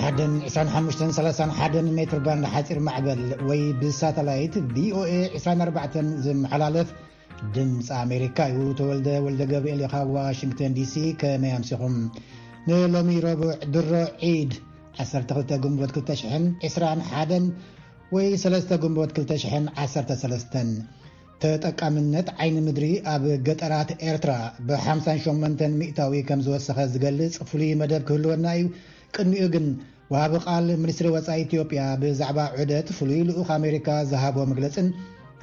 ዓደን ዕስራን ሓሙሽተን ሰላሳን ሓደን ሜትር ባንድ ሓፂር ማዕበል ወይ ብሳተላይት ቪኦኤ ዕስራን ኣርባዕተን ዝመሓላለፍ ድምፂ ኣሜሪካ እዩ። ተወልደ ወልደ ገብርኤል ኢኻ፣ ዋሽንግተን ዲሲ። ከመይ ኣምሲኹም? ንሎሚ ረቡዕ ድሮ ዒድ ዓሰርተ ክልተ ግንቦት ክልተ ሽሕን ዕስራን ሓደን ወይ ሰለስተ ግንቦት ክልተ ሽሕን ዓሰርተ ሰለስተን። ተጠቃምነት ዓይኒ ምድሪ ኣብ ገጠራት ኤርትራ ብ ሓምሳን ሸሞንተን ሚእታዊ ከም ዝወሰኸ ዝገልጽ ፍሉይ መደብ ክህልወና እዩ። ቅድሚኡ ግን፣ ወሃቢ ቃል ሚኒስትሪ ወጻኢ ኢትዮጵያ ብዛዕባ ዑደት ፍሉይ ልኡኽ ኣሜሪካ ዝሃቦ መግለጽን፣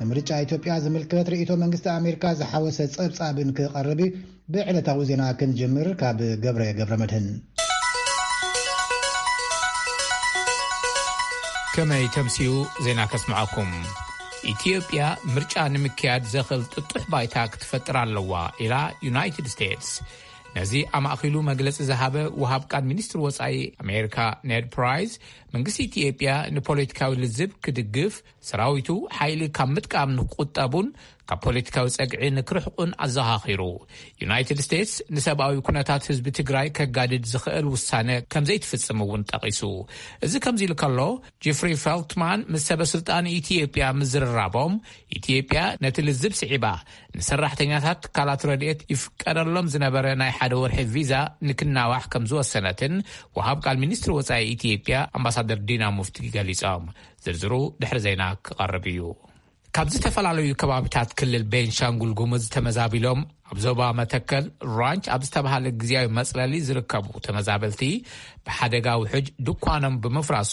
ንምርጫ ኢትዮጵያ ዝምልከት ርእይቶ መንግስቲ ኣሜሪካ ዝሓወሰ ጸብጻብን ክቐርብ እዩ። ብዕለታዊ ዜና ክንጅምር፣ ካብ ገብረ ገብረ መድህን። ከመይ ተምስዩ ዜና ከስምዓኩም። ኢትዮጵያ ምርጫ ንምክያድ ዘኽእል ጥጡሕ ባይታ ክትፈጥር ኣለዋ ኢላ ዩናይትድ ስቴትስ። ነዚ ኣማእኪሉ መግለጺ ዝሃበ ወሃብ ቃል ሚኒስትሪ ወጻኢ ኣሜሪካ ኔድ ፕራይስ፣ መንግስቲ ኢትዮጵያ ንፖለቲካዊ ልዝብ ክድግፍ፣ ሰራዊቱ ሓይሊ ካብ ምጥቃም ንክቁጠቡን ካብ ፖለቲካዊ ጸግዒ ንክርሕቁን ኣዘኻኺሩ። ዩናይትድ ስቴትስ ንሰብኣዊ ኩነታት ህዝቢ ትግራይ ከጋድድ ዝኽእል ውሳነ ከም ዘይትፍጽም እውን ጠቒሱ። እዚ ከምዚ ኢሉ ከሎ፣ ጄፍሪ ፌልትማን ምስ ሰበ ስልጣን ኢትዮጵያ ምዝርራቦም፣ ኢትዮጵያ ነቲ ልዝብ ስዒባ ንሰራሕተኛታት ትካላት ረድኤት ይፍቀደሎም ዝነበረ ናይ ሓደ ወርሒ ቪዛ ንክናዋሕ ከም ዝወሰነትን ወሃብ ቃል ሚኒስትሪ ወጻኢ ኢትዮጵያ ኣምባሳደር ዲና ሙፍቲ ገሊጾም። ዝርዝሩ ድሕሪ ዜና ክቐርብ እዩ። ካብ ዝተፈላለዩ ከባቢታት ክልል ቤንሻንጉል ጉሙዝ ተመዛቢሎም ኣብ ዞባ መተከል ራንች ኣብ ዝተባሃለ ግዝያዊ መጽለሊ ዝርከቡ ተመዛበልቲ፣ ብሓደጋ ውሕጅ ድኳኖም ብምፍራሱ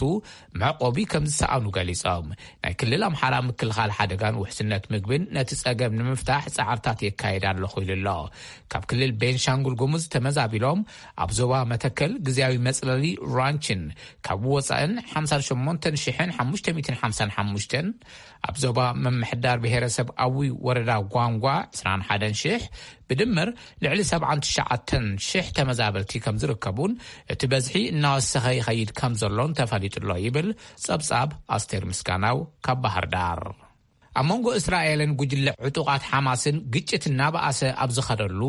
መዕቆቢ ከም ዝሰኣኑ ገሊጾም። ናይ ክልል ኣምሓራ ምክልኻል ሓደጋን ውሕስነት ምግብን ነቲ ጸገም ንምፍታሕ ጻዕርታት የካየድ ኣለኹ ኢሉ ኣሎ። ካብ ክልል ቤንሻንጉል ጉሙዝ ተመዛቢሎም ኣብ ዞባ መተከል ግዝያዊ መጽለሊ ራንችን ካብ ወጻእን ሓምሳን ሸሞንተን ሽሕን ሓሙሽተ ሚእትን ሓምሳን ሓሙሽተን፣ ኣብ ዞባ ምምሕዳር ብሄረሰብ ኣዊ ወረዳ ጓንጓ ዕስራን ሓደን ሽሕ፣ ብድምር ልዕሊ ሰብዓን ትሽዓተን ሽሕ ተመዛበልቲ ከም ዝርከቡን እቲ በዝሒ እናወሰኸ ይኸይድ ከም ዘሎን ተፈሊጡ ኣሎ ይብል ጸብጻብ ኣስቴር ምስጋናው ካብ ባህር ዳር። ኣብ መንጎ እስራኤልን ጉጅለ ዕጡቓት ሓማስን ግጭት እናበኣሰ ኣብ ዝኸደሉ፣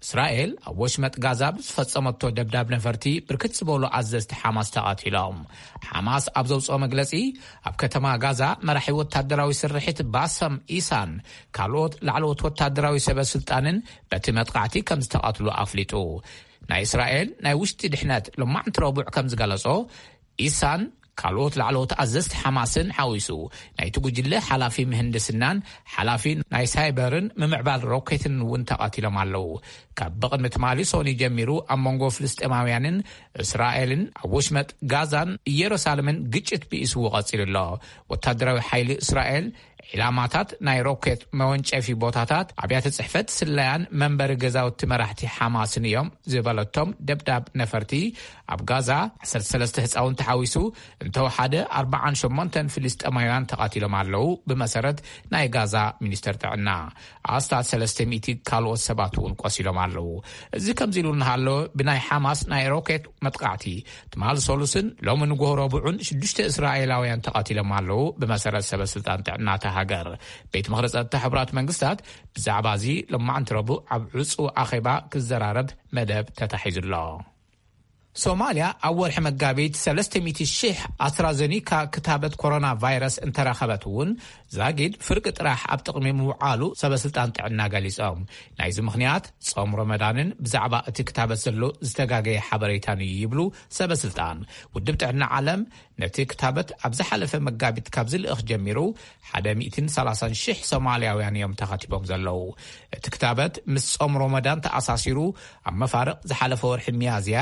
እስራኤል ኣብ ወሽመጥ ጋዛ ብዝፈጸመቶ ደብዳብ ነፈርቲ ብርክት ዝበሉ ኣዘዝቲ ሓማስ ተቐቲሎም። ሓማስ ኣብ ዘውፅኦ መግለጺ፣ ኣብ ከተማ ጋዛ መራሒ ወታደራዊ ስርሒት ባሰም ኢሳን ካልኦት ላዕለዎት ወታደራዊ ሰበ ስልጣንን በቲ መጥቃዕቲ ከም ዝተቐትሉ ኣፍሊጡ። ናይ እስራኤል ናይ ውሽጢ ድሕነት ሎማዕንቲ ረቡዕ ከም ዝገለጾ፣ ኢሳን ካልኦት ላዕለዎት ኣዘዝቲ ሓማስን ሓዊሱ፣ ናይቲ ጉጅለ ሓላፊ ምህንድስናን ሓላፊ ናይ ሳይበርን ምምዕባል ሮኬትን እውን ተቐቲሎም ኣለዉ። ካብ ብቕድሚ ትማሊ ሶኒ ጀሚሩ ኣብ መንጎ ፍልስጤማውያንን እስራኤልን ኣብ ወሽመጥ ጋዛን ኢየሩሳሌምን ግጭት ብኢስዎ ቀጺሉ ኣሎ። ወታደራዊ ሓይሊ እስራኤል ዒላማታት ናይ ሮኬት መወንጨፊ ቦታታት፣ ኣብያተ ጽሕፈት ስለያን መንበሪ ገዛውቲ መራሕቲ ሓማስን እዮም ዝበለቶም ደብዳብ ነፈርቲ፣ ኣብ ጋዛ ዓሰርተ ሰለስተ ህጻውንቲ ሓዊሱ እንተወሓደ ኣርባዓን ሸሞንተን ፍልስጤማውያን ተቓቲሎም ኣለዉ፣ ብመሰረት ናይ ጋዛ ሚኒስተር ጥዕና። ኣስታት ሰለስተ ሚእቲ ካልኦት ሰባት እውን ቆሲሎም ኣለዉ። እዚ ከምዚ ኢሉ እናሃሎ፣ ብናይ ሓማስ ናይ ሮኬት መጥቃዕቲ ትማል ሰሉስን ሎሚ ንጎሆ ረቡዕን ሽዱሽተ እስራኤላውያን ተቐቲሎም ኣለዉ፣ ብመሰረት ሰበ ስልጣን ጥዕና እታ ሃገር። ቤት ምኽሪ ጸጥታ ሕቡራት መንግስታት ብዛዕባ እዚ ሎማዕንቲ ረቡዕ ኣብ ዕጹው ኣኼባ ክዘራረብ መደብ ተታሒዙ ኣሎ። ሶማልያ ኣብ ወርሒ መጋቢት ሰለስተ ሚእቲ ሽሕ ኣስትራዘኒካ ክታበት ኮሮና ቫይረስ እንተረኸበት እውን፣ ዛጊድ ፍርቂ ጥራሕ ኣብ ጥቕሚ ምውዓሉ ሰበ ስልጣን ጥዕና ገሊጾም። ናይዚ ምኽንያት ጾም ረመዳንን ብዛዕባ እቲ ክታበት ዘሎ ዝተጋገየ ሓበሬታን እዩ ይብሉ ሰበ ስልጣን። ውድብ ጥዕና ዓለም ነቲ ክታበት ኣብ ዝሓለፈ መጋቢት ካብ ዝልእኽ ጀሚሩ ሓደ ሚእትን ሰላሳን ሽሕ ሶማልያውያን እዮም ተኸቲቦም ዘለዉ። እቲ ክታበት ምስ ጾም ሮመዳን ተኣሳሲሩ ኣብ መፋርቕ ዝሓለፈ ወርሒ ሚያዝያ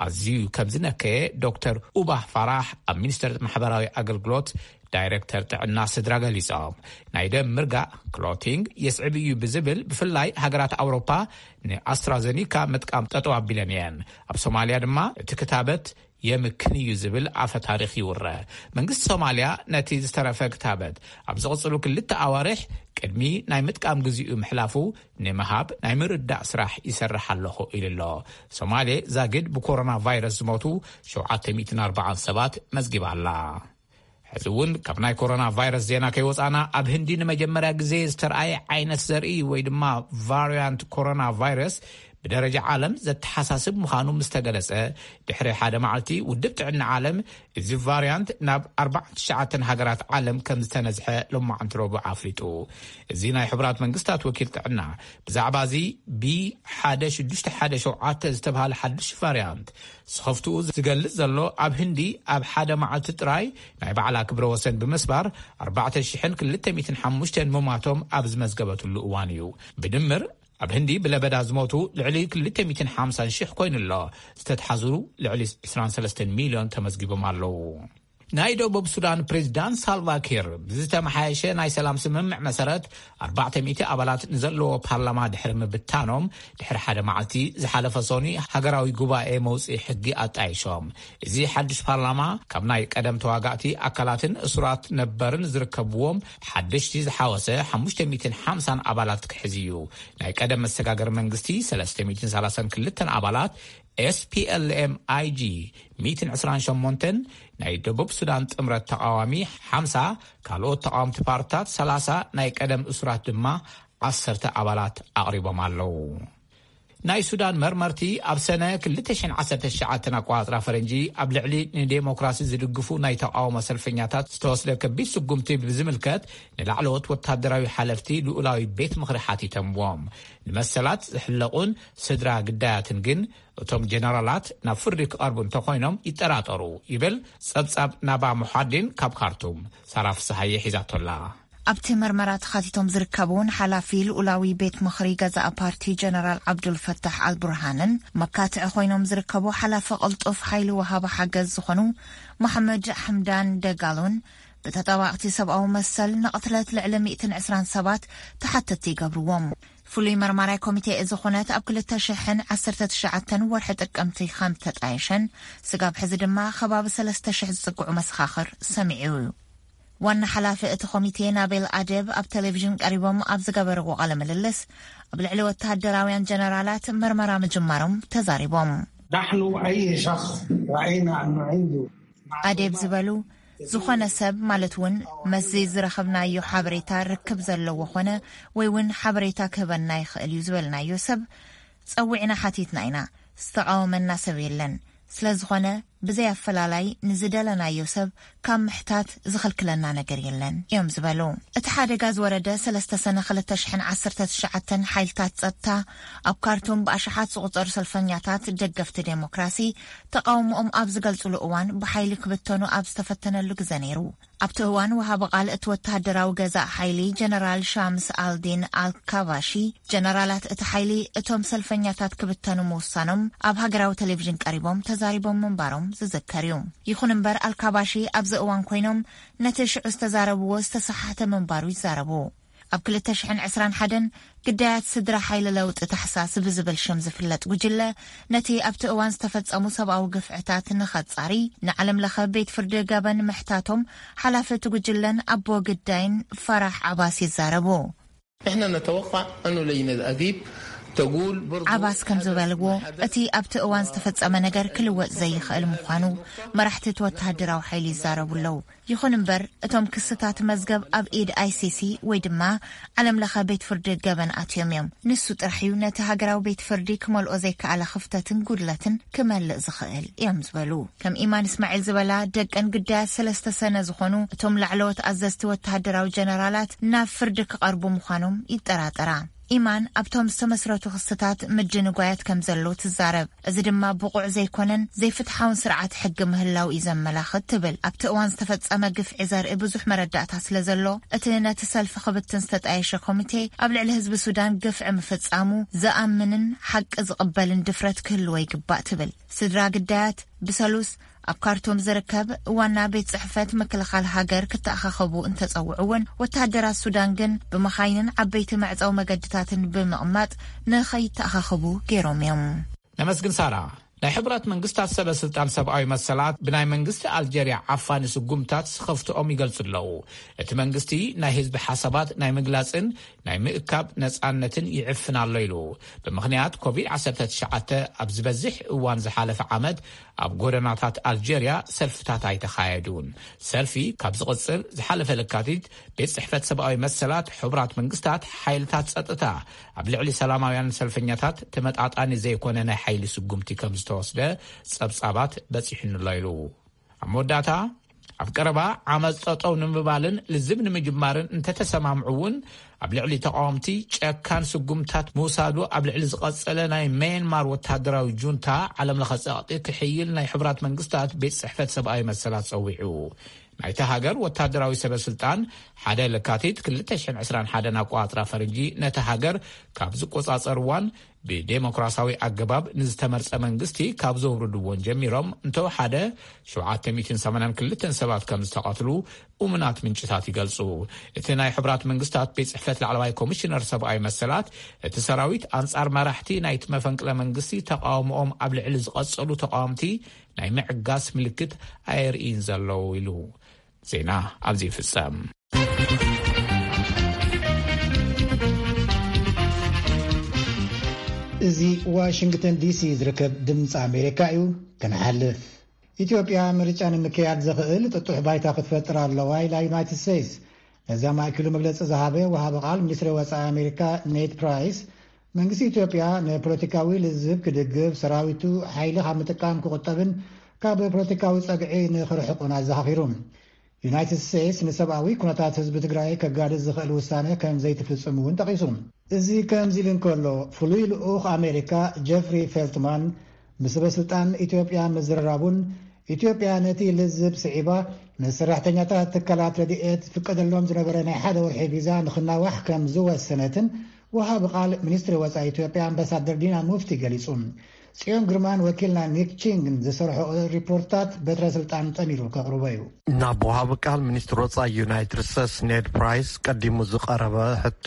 ኣዝዩ ከም ዝነከየ ዶክተር ኡባህ ፋራህ ኣብ ሚኒስተር ማሕበራዊ ኣገልግሎት ዳይረክተር ጥዕና ስድራ ገሊጾም። ናይ ደም ምርጋእ፣ ክሎቲንግ፣ የስዕብ እዩ ብዝብል ብፍላይ ሃገራት ኣውሮፓ ንኣስትራዘኒካ ምጥቃም ጠጠው ኣቢለን እየን። ኣብ ሶማልያ ድማ እቲ ክታበት የምክን እዩ ዝብል ኣፈ ታሪኽ ይውረ። መንግስቲ ሶማልያ ነቲ ዝተረፈ ክታበት ኣብ ዝቕጽሉ ክልተ ኣዋርሕ ቅድሚ ናይ ምጥቃም ግዜኡ ምሕላፉ ንምሃብ ናይ ምርዳእ ስራሕ ይሰርሕ ኣለኹ ኢሉ ኣሎ። ሶማሌ ዛግድ ብኮሮና ቫይረስ ዝሞቱ ሸውዓተ ሚእትን ኣርባዓን ሰባት መዝጊባ ኣላ። ሕዚ እውን ካብ ናይ ኮሮና ቫይረስ ዜና ከይወፃና፣ ኣብ ህንዲ ንመጀመርያ ግዜ ዝተርኣየ ዓይነት ዘርኢ ወይ ድማ ቫሪያንት ኮሮና ቫይረስ ብደረጃ ዓለም ዘተሓሳስብ ምዃኑ ምስ ተገለጸ፣ ድሕሪ ሓደ መዓልቲ ውድብ ጥዕና ዓለም እዚ ቫርያንት ናብ ኣርባዕተ ትሽዓተ ሃገራት ዓለም ከም ዝተነዝሐ ሎማዓንቲ ረቡዕ ኣፍሊጡ። እዚ ናይ ሕቡራት መንግስታት ወኪል ጥዕና ብዛዕባ እዚ ቢ ሓደ ሽዱሽተ ሓደ ሸውዓተ ዝተባህለ ሓድሽ ቫርያንት ስኸፍትኡ ዝገልጽ ዘሎ፣ ኣብ ህንዲ ኣብ ሓደ መዓልቲ ጥራይ ናይ ባዕላ ክብረ ወሰን ብምስባር ኣርባዕተ ሽሕን ክልተ ሚእትን ሓሙሽተን ምማቶም ኣብ ዝመዝገበትሉ እዋን እዩ። ብድምር ኣብ ህንዲ ብለበዳ ዝሞቱ ልዕሊ ክልተ ሚእትን ሓምሳን ሽሕ ኮይኑ ኣሎ። ዝተትሓዙ ልዕሊ ዕስራን ሰለስተን ሚልዮን ተመዝጊቦም ኣለዉ። ናይ ደቡብ ሱዳን ፕሬዚዳንት ሳልቫ ኪር ብዝተመሓየሸ ናይ ሰላም ስምምዕ መሰረት ኣርባዕተ ሚእቲ ኣባላት ንዘለዎ ፓርላማ ድሕሪ ምብታኖም፣ ድሕሪ ሓደ መዓልቲ ዝሓለፈ ሶኒ ሃገራዊ ጉባኤ መውፅኢ ሕጊ ኣጣይሾም። እዚ ሓድሽ ፓርላማ ካብ ናይ ቀደም ተዋጋእቲ ኣካላትን እሱራት ነበርን ዝርከብዎም ሓደሽቲ ዝሓወሰ ሓሙሽተ ሚእትን ሓምሳን ኣባላት ክሕዝ እዩ። ናይ ቀደም መሰጋገሪ መንግስቲ ሰለስተ ሚእትን ሰላሳን ክልተን ኣባላት፣ S P L M I G ሚእትን ዕስራን ሸሞንተን፣ ናይ ደቡብ ሱዳን ጥምረት ተቓዋሚ ሓምሳ፣ ካልኦት ተቓወምቲ ፓርትታት ሰላሳ፣ ናይ ቀደም እሱራት ድማ ዓሰርተ ኣባላት ኣቕሪቦም ኣለዉ። ናይ ሱዳን መርመርቲ ኣብ ሰነ ክልተ ሽሕን ዓሰርተ ትሽዓተን ኣቆጻጽራ ፈረንጂ ኣብ ልዕሊ ንዴሞክራሲ ዝድግፉ ናይ ተቓውሞ ሰልፈኛታት ዝተወስደ ከቢድ ስጉምቲ ብዝምልከት ንላዕለዎት ወታደራዊ ሓለፍቲ ልኡላዊ ቤት ምኽሪ ሓቲቶምዎም። ንመሰላት ዝሕለቑን ስድራ ግዳያትን ግን እቶም ጀነራላት ናብ ፍርዲ ክቐርቡ እንተኾይኖም ይጠራጠሩ፣ ይብል ጸብጻብ ናባ ሙሓዲን ካብ ካርቱም። ሳራ ፍስሃየ ሒዛቶላ። ኣብቲ መርመራ ተኻቲቶም ዝርከቡ ሓላፊ ልኡላዊ ቤት ምኽሪ ገዛእ ፓርቲ ጀነራል ዓብዱል ፈታሕ ኣልቡርሃንን መካትዒ ኮይኖም ዝርከቡ ሓላፊ ቅልጡፍ ሓይሊ ወሃቢ ሓገዝ ዝኾኑ መሓመድ ሓምዳን ደጋሎን ብተጣባቕቲ ሰብኣዊ መሰል ንቕትለት ልዕሊ ሚእትን ዕስራን ሰባት ተሓተትቲ ይገብርዎም። ፍሉይ መርማራይ ኮሚቴ እዚ ኩነት ኣብ ክልተ ሽሕን ዓሰርተ ትሽዓተን ወርሒ ጥቅምቲ ከም ተጣየሸን ስጋብ ሕዚ ድማ ከባቢ ሰለስተ ሽሕ ዝጽግዑ መሰኻኽር ሰሚዑ እዩ። ዋና ሓላፊ እቲ ኮሚቴ ናቤል ኣደብ ኣብ ቴሌቪዥን ቀሪቦም ኣብ ዝገበርዎ ቃለ ምልልስ ኣብ ልዕሊ ወተሃደራውያን ጀነራላት መርመራ ምጅማሮም ተዛሪቦም። نحن أي شخص رأينا أنه عنده ኣዴብ ዝበሉ ዝኾነ ሰብ ማለት እውን መስዚ ዝረኸብናዮ ሓበሬታ ርክብ ዘለዎ ኾነ ወይ እውን ሓበሬታ ክህበና ይኽእል እዩ ዝበልናዮ ሰብ ጸዊዕና ሓቲትና ኢና። ዝተቓወመና ሰብ የለን። ስለ ዝኾነ ብዘይ ኣፈላላይ ንዝደለናዮ ሰብ ካብ ምሕታት ዝኽልክለና ነገር የለን እዮም ዝበሉ። እቲ ሓደጋ ዝወረደ ሰለስተ ሰነ ክልተ ሽሕን ዓሰርተ ትሽዓተን ሓይልታት ጸጥታ ኣብ ካርቱም ብኣሽሓት ዝቑጸሩ ሰልፈኛታት ደገፍቲ ዴሞክራሲ ተቓውሞኦም ኣብ ዝገልጽሉ እዋን ብሓይሊ ክብተኑ ኣብ ዝተፈተነሉ ግዘ ነይሩ። ኣብቲ እዋን ወሃቢ ቃል እቲ ወተሃደራዊ ገዛእ ሓይሊ ጀነራል ሻምስ ኣልዲን ኣልካባሺ ጀነራላት እቲ ሓይሊ እቶም ሰልፈኛታት ክብተኑ ምውሳኖም ኣብ ሃገራዊ ቴሌቪዥን ቀሪቦም ተዛሪቦም ምንባሮም ዝዝከር እዩ። ይኹን እምበር ኣልካባሺ ኣብዚ እዋን ኮይኖም ነቲ ሽዑ ዝተዛረብዎ ዝተሰሓተ ምንባሩ ይዛረቡ። ኣብ ክልተ ሽሕን ዕስራን ሓደን ግዳያት ስድራ ሓይሊ ለውጢ ታሕሳስ ብዝብል ሽም ዝፍለጥ ጉጅለ ነቲ ኣብቲ እዋን ዝተፈጸሙ ሰብኣዊ ግፍዕታት ንኸጻሪ ንዓለም ለኸ ቤት ፍርዲ ገበን ምሕታቶም ሓላፊ እቲ ጉጅለን ኣቦ ግዳይን ፈራሕ ዓባስ ይዛረቡ። احنا نتوقع انه لجنة اديب تقول برضو ዓባስ ከም ዝበልዎ እቲ ኣብቲ እዋን ዝተፈጸመ ነገር ክልወጥ ዘይኽእል ምዃኑ መራሕቲ እቲ ወተሃደራዊ ሓይሊ ይዛረቡ ኣለዉ። ይኹን እምበር እቶም ክስታት መዝገብ ኣብ ኢድ ICC ወይ ድማ ዓለም ለኸ ቤት ፍርዲ ገበን ኣትዮም እዮም። ንሱ ጥራሕ እዩ ነቲ ሃገራዊ ቤት ፍርዲ ክመልኦ ዘይከኣለ ክፍተትን ጉድለትን ክመልእ ዝኽእል እዮም ዝበሉ። ከም ኢማን እስማዒል ዝበላ ደቀን ግዳያት ሰለስተ ሰነ ዝኾኑ እቶም ላዕለዎት ኣዘዝቲ ወተሃደራዊ ጀነራላት ናብ ፍርዲ ክቐርቡ ምዃኖም ይጠራጠራ። ኢማን ኣብቶም ዝተመስረቱ ክስታት ምድንጓያት ከም ዘሎ ትዛረብ። እዚ ድማ ብቑዕ ዘይኮነን ዘይፍትሓውን ስርዓት ሕጊ ምህላው እዩ ዘመላኽት ትብል። ኣብቲ እዋን ዝተፈጸመ ግፍዒ ዘርኢ ብዙሕ መረዳእታ ስለ ዘሎ እቲ ነቲ ሰልፊ ክብትን ዝተጣየሸ ኮሚቴ ኣብ ልዕሊ ህዝቢ ሱዳን ግፍዒ ምፍጻሙ ዝኣምንን ሓቂ ዝቕበልን ድፍረት ክህልዎ ይግባእ ትብል። ስድራ ግዳያት ብሰሉስ ኣብ ካርቱም ዝርከብ ዋና ቤት ጽሕፈት ምክልኻል ሃገር ክተኣኻኸቡ እንተጸውዑ እውን ወተሃደራት ሱዳን ግን ብመኻይንን ዓበይቲ መዕጸዊ መገድታትን ብምቕማጥ ንኸይተኣኻኸቡ ገይሮም እዮም። ነመስግን ሳራ። ናይ ሕቡራት መንግስታት ሰበ ስልጣን ሰብኣዊ መሰላት ብናይ መንግስቲ ኣልጀርያ ዓፋኒ ስጉምታት ስኸፍትኦም ይገልጹ ኣለዉ። እቲ መንግስቲ ናይ ህዝቢ ሓሳባት ናይ ምግላጽን ናይ ምእካብ ነጻነትን ይዕፍን ኣሎ ኢሉ። ብምኽንያት ኮቪድ ዓሰርተ ትሽዓተ ኣብ ዝበዝሕ እዋን ዝሓለፈ ዓመት ኣብ ጎደናታት ኣልጀርያ ሰልፍታት ኣይተኻየዱን። ሰልፊ ካብ ዝቕጽል ዝሓለፈ ለካቲት ቤት ጽሕፈት ሰብኣዊ መሰላት ሕቡራት መንግስታት ሓይልታት ጸጥታ ኣብ ልዕሊ ሰላማውያን ሰልፈኛታት ተመጣጣኒ ዘይኮነ ናይ ሓይሊ ስጉምቲ ከም ዝተወስደ ጸብጻባት በጺሑንሎ ኢሉ። ኣብ መወዳእታ ኣብ ቀረባ ዓመፅ ጠጠው ንምባልን ልዝብ ንምጅማርን እንተተሰማምዑ እውን ኣብ ልዕሊ ተቃወምቲ ጨካን ስጉምታት ምውሳዱ ኣብ ልዕሊ ዝቐጸለ ናይ መየንማር ወታደራዊ ጁንታ ዓለም ለኸ ጸቕጢ ክሕይል ናይ ሕቡራት መንግስታት ቤት ጽሕፈት ሰብኣዊ መሰላት ጸዊዑ። ናይታ ሃገር ወታደራዊ ሰበ ስልጣን ሓደ ለካቲት ክልተ ሽሕን ዕስራን ሓደን ኣቆጻጽራ ፈረንጂ ነታ ሃገር ካብ ዝቆጻጸርዋን ብዴሞክራሲያዊ ኣገባብ ንዝተመርጸ መንግስቲ ካብ ዘውርድዎን ጀሚሮም እንተወሓደ ሸውዓተ ሚእትን ሰማንያን ክልተን ሰባት ከም ዝተቐትሉ እሙናት ምንጭታት ይገልጹ። እቲ ናይ ሕቡራት መንግስታት ቤት ጽሕፈት ላዕለዋይ ኮሚሽነር ሰብኣዊ መሰላት እቲ ሰራዊት ኣንጻር መራሕቲ ናይቲ መፈንቅለ መንግስቲ ተቃውሞኦም ኣብ ልዕሊ ዝቐጸሉ ተቃወምቲ ናይ ምዕጋስ ምልክት ኣየርእይን ዘለዉ ኢሉ። ዜና ኣብዚ ይፍጸም። እዚ ዋሽንግተን ዲሲ ዝርከብ ድምፂ ኣሜሪካ እዩ። ክንሓልፍ ኢትዮጵያ ምርጫ ንምክያድ ዘኽእል ጥጡሕ ባይታ ክትፈጥር ኣለዋ ኢላ ዩናይትድ ስቴትስ። ነዚ ኣማእኪሉ መግለፂ ዝሃበ ወሃቢ ቃል ሚኒስትሪ ወፃኢ ኣሜሪካ ኔድ ፕራይስ መንግስቲ ኢትዮጵያ ንፖለቲካዊ ልዝብ ክድግፍ፣ ሰራዊቱ ሓይሊ ካብ ምጥቃም ክቁጠብን ካብ ፖለቲካዊ ጸግዒ ንኽርሕቁን ኣዘኻኺሩ። ዩናይትድ ስቴትስ ንሰብኣዊ ኩነታት ህዝቢ ትግራይ ከጋድድ ዝኽእል ውሳነ ከም ዘይትፍጽም እውን ጠቒሱ። እዚ ከምዚ ኢሉ እንከሎ፣ ፍሉይ ልኡኽ ኣሜሪካ ጀፍሪ ፌልትማን ምስ ሰበስልጣን ኢትዮጵያ ምዝርራቡን ኢትዮጵያ ነቲ ልዝብ ስዒባ ንሰራሕተኛታት ትካላት ረድኤት ዝፍቀደሎም ዝነበረ ናይ ሓደ ወርሒ ቪዛ ንኽናዋሕ ከም ዝወሰነትን ወሃቢ ቃል ሚኒስትሪ ወፃኢ ኢትዮጵያ ኣምባሳደር ዲና ሙፍቲ ገሊጹ። ጽዮን ግርማን ወኪልና ኒክ ቺንግን ዝሰርሖ ሪፖርታት በትረ ስልጣን ጠሚሩ ከቕርቦ እዩ። ናብ ወሃቢ ቃል ሚኒስትሪ ወፃኢ ዩናይትድ ስቴትስ ኔድ ፕራይስ ቀዲሙ ዝቐረበ ሕቶ፣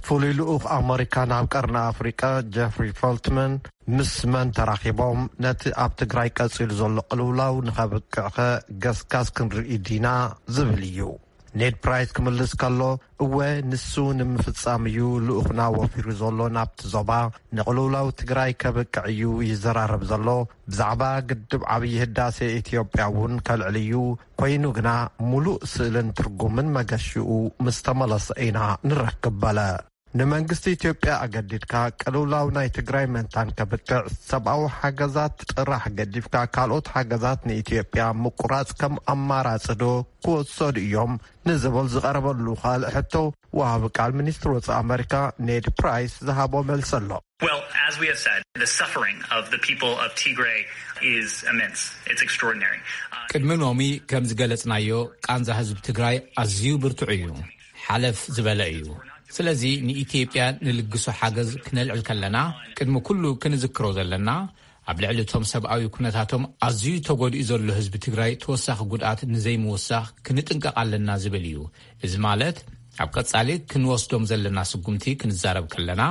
ፍሉይ ልኡኽ ኣመሪካ ናብ ቀርኒ ኣፍሪቃ ጀፍሪ ፈልትመን ምስ መን ተራኺቦም፣ ነቲ ኣብ ትግራይ ቀጺሉ ዘሎ ቅልውላው ንኸብቅዕኸ ገስጋስ ክንርኢ ዲና ዝብል እዩ። ኔድ ፕራይስ ክምልስ ከሎ፣ እወ፣ ንሱ ንምፍጻም እዩ ልኡኽና ወፊሩ ዘሎ ናብቲ ዞባ። ንቕልውላው ትግራይ ከብቅዕ እዩ ይዘራረብ ዘሎ። ብዛዕባ ግድብ ዓብዪ ህዳሴ ኢትዮጵያ እውን ከልዕል እዩ። ኮይኑ ግና ሙሉእ ስእልን ትርጉምን መገሽኡ ምስ ተመለሰ ኢና ንረክብ በለ። ንመንግስቲ ኢትዮጵያ ኣገዲድካ ቅልውላው ናይ ትግራይ መንታን ከብቅዕ ሰብኣዊ ሓገዛት ጥራሕ ገዲፍካ ካልኦት ሓገዛት ንኢትዮጵያ ምቁራፅ ከም ኣማራፂ ዶ ክወሰዱ እዮም ንዝብል ዝቐረበሉ ካልእ ሕቶ፣ ወሃቢ ቃል ሚኒስትሪ ወፃኢ ኣመሪካ ኔድ ፕራይስ ዝሃቦ መልሲ ኣሎ። Well, as we have said, the suffering of the people of Tigray is immense. It's extraordinary. ቅድሚ ሎሚ ከም ዝገለጽናዮ ቃንዛ ህዝቢ ትግራይ ኣዝዩ ብርቱዕ እዩ፣ ሓለፍ ዝበለ እዩ። ስለዚ ንኢትዮጵያ ንልግሶ ሓገዝ ክነልዕል ከለና ቅድሚ ኩሉ ክንዝክሮ ዘለና ኣብ ልዕሊ እቶም ሰብኣዊ ኩነታቶም ኣዝዩ ተጎዲኡ ዘሎ ህዝቢ ትግራይ ተወሳኺ ጉድኣት ንዘይምውሳኽ ክንጥንቀቕ ኣለና ዝብል እዩ። እዚ ማለት ኣብ ቀጻሊ ክንወስዶም ዘለና ስጉምቲ ክንዛረብ ከለና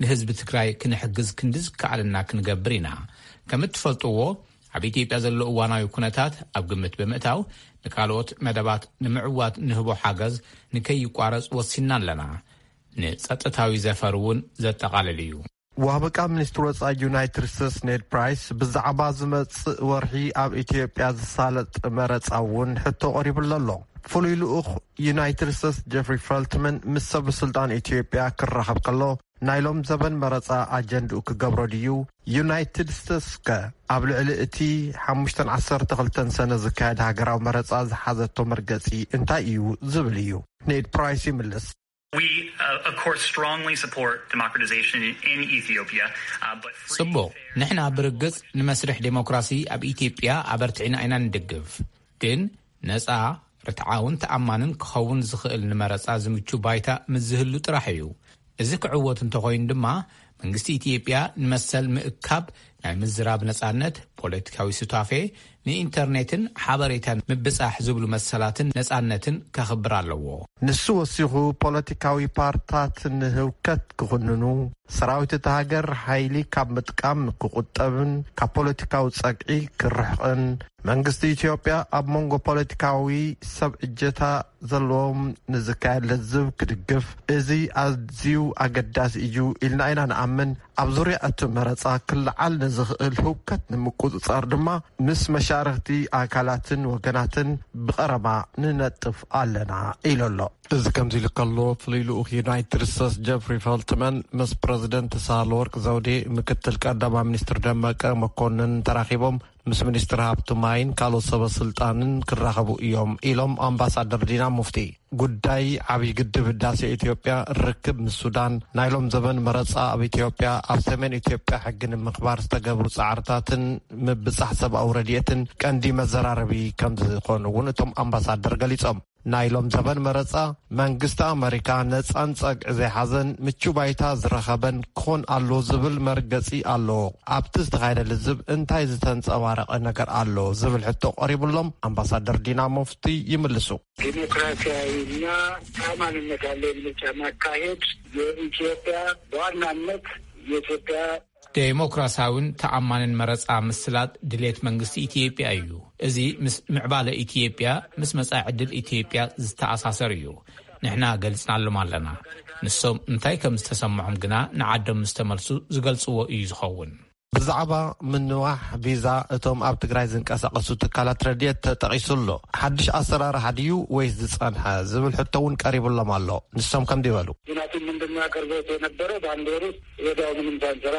ንህዝቢ ትግራይ ክንሕግዝ ክንዲ ዝከኣለና ክንገብር ኢና። ከም እትፈልጥዎ ኣብ ኢትዮጵያ ዘሎ እዋናዊ ኩነታት ኣብ ግምት ብምእታው ንካልኦት መደባት ንምዕዋት ንህቦ ሓገዝ ንከይቋረጽ ወሲንና ኣለና። ንጸጥታዊ ዘፈር እውን ዘጠቓልል እዩ። ዋበቃ ሚኒስትር ወፃኢ ዩናይትድ ስቴትስ ኔድ ፕራይስ ብዛዕባ ዝመፅእ ወርሒ ኣብ ኢትዮጵያ ዝሳለጥ መረፃ እውን ሕቶ ቀሪብሉ ኣሎ። ፍሉይ ልኡኽ ዩናይትድ ስቴትስ ጀፍሪ ፈልትመን ምስ ሰብ ስልጣን ኢትዮጵያ ክራኸብ ከሎ ናይ ሎም ዘበን መረፃ ኣጀንድኡ ክገብሮ ድዩ? ዩናይትድ ስቴትስ ከ ኣብ ልዕሊ እቲ ሓሙሽተን ዓሰርተ ክልተን ሰነ ዝካየድ ሃገራዊ መረፃ ዝሓዘቶ መርገፂ እንታይ እዩ ዝብል እዩ። ኔድ ፕራይስ ይምልስ። We, uh, of course, strongly support democratization in Ethiopia, uh, but free, ጽቡቕ፣ ንሕና ብርግጽ ንመስርሕ ዴሞክራሲ ኣብ ኢትዮጵያ ኣበርቲዕና ኢና ንድግፍ። ግን ነጻ፣ ርትዓውን ተኣማንን ክኸውን ዝኽእል ንመረጻ ዝምቹ ባይታ ምስ ዝህሉ ጥራሕ እዩ። እዚ ክዕወት እንተኾይኑ ድማ መንግስቲ ኢትዮጵያ ንመሰል ምእካብ ናይ ምዝራብ ነጻነት፣ ፖለቲካዊ ሱታፌ፣ ንኢንተርኔትን ሓበሬታን ምብጻሕ ዝብሉ መሰላትን ነጻነትን ከኽብር ኣለዎ። ንሱ ወሲኹ፣ ፖለቲካዊ ፓርታት ንህውከት ክኹንኑ፣ ሰራዊት እታ ሃገር ሓይሊ ካብ ምጥቃም ክቑጠብን ካብ ፖለቲካዊ ጸግዒ ክርሕቕን፣ መንግስቲ ኢትዮጵያ ኣብ መንጎ ፖለቲካዊ ሰብ እጀታ ዘለዎም ንዝካየድ ልዝብ ክድግፍ፣ እዚ ኣዝዩ ኣገዳሲ እዩ ኢልና ኢና ንኣምን። ኣብ ዙርያ እቲ መረጻ ክለዓል ንዝኽእል ህውከት ንምቁጽጻር ድማ ምስ መሻርኽቲ ኣካላትን ወገናትን ብቐረባ ንነጥፍ ኣለና ኢሉ ኣሎ። እዚ ከምዚ ኢሉ ከሎ፣ ፍሉይ ልኡኽ ዩናይትድ ስቴትስ ጀፍሪ ፈልትመን ምስ ፕረዚደንት ሳህለወርቅ ዘውዴ፣ ምክትል ቀዳማይ ሚኒስትር ደመቀ መኮንን ተራኺቦም ምስ ሚኒስትር ሃብቲ ማይን ካልኦት ሰበ ስልጣንን ክራኸቡ እዮም ኢሎም ኣምባሳደር ዲና ሙፍቲ። ጉዳይ ዓብዪ ግድብ ህዳሴ ኢትዮጵያ፣ ርክብ ምስ ሱዳን፣ ናይ ሎም ዘበን መረጻ ኣብ ኢትዮጵያ፣ ኣብ ሰሜን ኢትዮጵያ ሕጊ ንምኽባር ዝተገብሩ ጻዕርታትን ምብጻሕ ሰብኣዊ ረድኤትን ቀንዲ መዘራረቢ ከም ዝኾኑ እውን እቶም ኣምባሳደር ገሊጾም። ናይ ሎም ዘበን መረጻ፣ መንግስቲ ኣመሪካ ነጻን ጸግዒ ዘይሓዘን ምቹ ባይታ ዝረኸበን ክኾን ኣሎ ዝብል መርገጺ ኣሎ። ኣብቲ ዝተኻየደ ልዝብ እንታይ ዝተንጸባረቐ ነገር ኣሎ ዝብል ሕቶ ቀሪቡሎም፣ ኣምባሳደር ዲና ሙፍቲ ይምልሱ። ዲሞክራሲያዊና ተኣማንነት ያለው ምርጫ ማካሄድ የኢትዮጵያ በዋናነት የኢትዮጵያ ዴሞክራሲያውን ተኣማንን መረጻ ምስላጥ ድሌት መንግስቲ ኢትዮጵያ እዩ። እዚ ምስ ምዕባለ ኢትዮጵያ፣ ምስ መጻኢ ዕድል ኢትዮጵያ ዝተኣሳሰር እዩ። ንሕና ገሊጽናሎም ኣለና። ንሶም እንታይ ከም ዝተሰምዖም ግና ንዓዶም ምስ ተመልሱ ዝገልጽዎ እዩ ዝኸውን። ብዛዕባ ምንዋሕ ቪዛ እቶም ኣብ ትግራይ ዝንቀሳቐሱ ትካላት ረድኤት ተጠቒሱ ኣሎ። ሓድሽ ኣሰራርሓ ድዩ ወይስ ዝጸንሐ ዝብል ሕቶ እውን ቀሪቡሎም ኣሎ። ንሶም ከምዚ በሉ። ምክንያቱም ምንድን ነው ያቀርቡት የነበረው? በአንድ ወር ውስጥ ወዲያው ምንም ሳንሰራ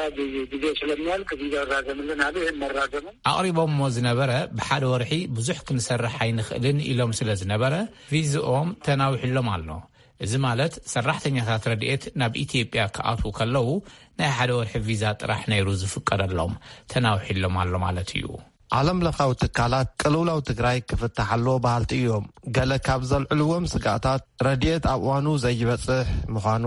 ጊዜ ስለሚያልቅ ቪዛ ይራዘምልን አሉ። ይህን መራዘሙ ኣቕሪቦምዎ ዝነበረ፣ ብሓደ ወርሒ ብዙሕ ክንሰርሕ ኣይንኽእልን ኢሎም ስለ ዝነበረ፣ ቪዝኦም ተናዊሕሎም ኣሎ። እዚ ማለት ሰራሕተኛታት ረድኤት ናብ ኢትዮጵያ ክኣትዉ ከለዉ ናይ ሓደ ወርሒ ቪዛ ጥራሕ ነይሩ ዝፍቀደሎም፣ ተናዊሕሎም ኣሎ ማለት እዩ። ዓለም ለኻዊ ትካላት ቅልውላው ትግራይ ክፍታሕ ኣለዎ በሃልቲ እዮም። ገለ ካብ ዘልዕልዎም ስጋኣታት፣ ረድኤት ኣብ እዋኑ ዘይበጽሕ ምዃኑ፣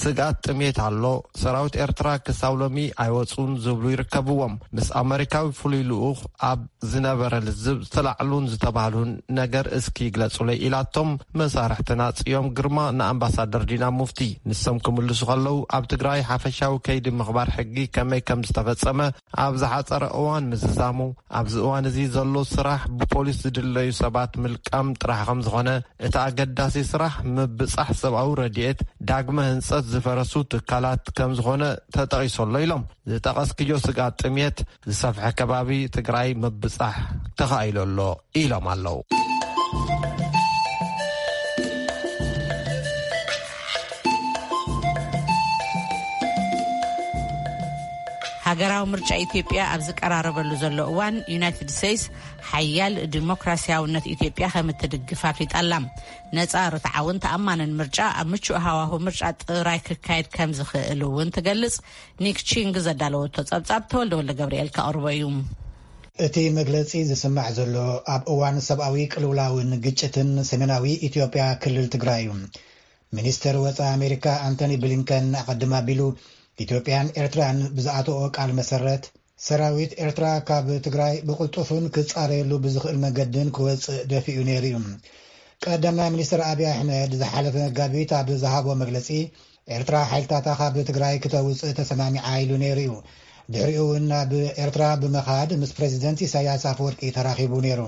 ስግኣት ጥሜት ኣሎ፣ ሰራዊት ኤርትራ ክሳብ ሎሚ ኣይወጹን ዝብሉ ይርከብዎም። ምስ ኣመሪካዊ ፍሉይ ልኡኽ ኣብ ዝነበረ ልዝብ ዝተላዕሉን ዝተባህሉን ነገር እስኪ ግለጹለይ ኢላቶም መሳርሕትና ጽዮም ግርማ ንኣምባሳደር ዲና ሙፍቲ። ንሶም ክምልሱ ከለዉ፣ ኣብ ትግራይ ሓፈሻዊ ከይዲ ምኽባር ሕጊ ከመይ ከም ዝተፈጸመ ኣብ ዝሓጸረ እዋን ምዝዛሙ፣ ኣብዚ እዋን እዚ ዘሎ ስራሕ ብፖሊስ ዝድለዩ ሰባት ምልቃም ጥራሕ ከም ዝኾነ፣ እቲ ኣገዳሲ ስራሕ ምብጻሕ ሰብኣዊ ረድኤት፣ ዳግመ ህንጸት ዝፈረሱ ትካላት ከም ዝኾነ ተጠቒሱ ኣሎ ኢሎም። ዝጠቐስክዮ ስግኣት ጥሜት ዝሰፍሐ ከባቢ ትግራይ ምብጻሕ ተኻኢሉ ኣሎ ኢሎም ኣለዉ። ሃገራዊ ምርጫ ኢትዮጵያ ኣብ ዝቀራረበሉ ዘሎ እዋን፣ ዩናይትድ ስቴትስ ሓያል ዲሞክራሲያውነት ኢትዮጵያ ከም እትድግፍ ኣፍሊጣ ኣላ። ነጻ፣ ርትዓውን ተኣማንን ምርጫ ኣብ ምቹእ ሃዋሁ ምርጫ ጥራይ ክካየድ ከም ዝኽእል እውን ትገልጽ። ኒክ ቺንግ ዘዳለወቶ ጸብጻብ ተወልደ ወልደ ገብርኤል ከቕርቦ እዩ። እቲ መግለጺ ዝስማዕ ዘሎ ኣብ እዋን ሰብኣዊ ቅልውላውን ግጭትን ሰሜናዊ ኢትዮጵያ ክልል ትግራይ እዩ። ሚኒስተር ወጻኢ ኣሜሪካ ኣንቶኒ ብሊንከን ኣቐድም ኣቢሉ ኢትዮጵያን ኤርትራን ብዝኣተኦ ቃል መሰረት ሰራዊት ኤርትራ ካብ ትግራይ ብቕልጡፍን ክጻረየሉ ብዝኽእል መገድን ክወጽእ ደፊኡ ነይሩ እዩ። ቀዳማይ ሚኒስትር ኣብይ ኣሕመድ ዝሓለፈ መጋቢት ኣብ ዝሃቦ መግለጺ፣ ኤርትራ ሓይልታታ ካብ ትግራይ ክተውጽእ ተሰማሚዓ ኢሉ ነይሩ እዩ። ድሕሪኡ እውን ናብ ኤርትራ ብምኻድ ምስ ፕሬዚደንት ኢሳያስ ኣፈወርቂ ተራኺቡ ነይሩ።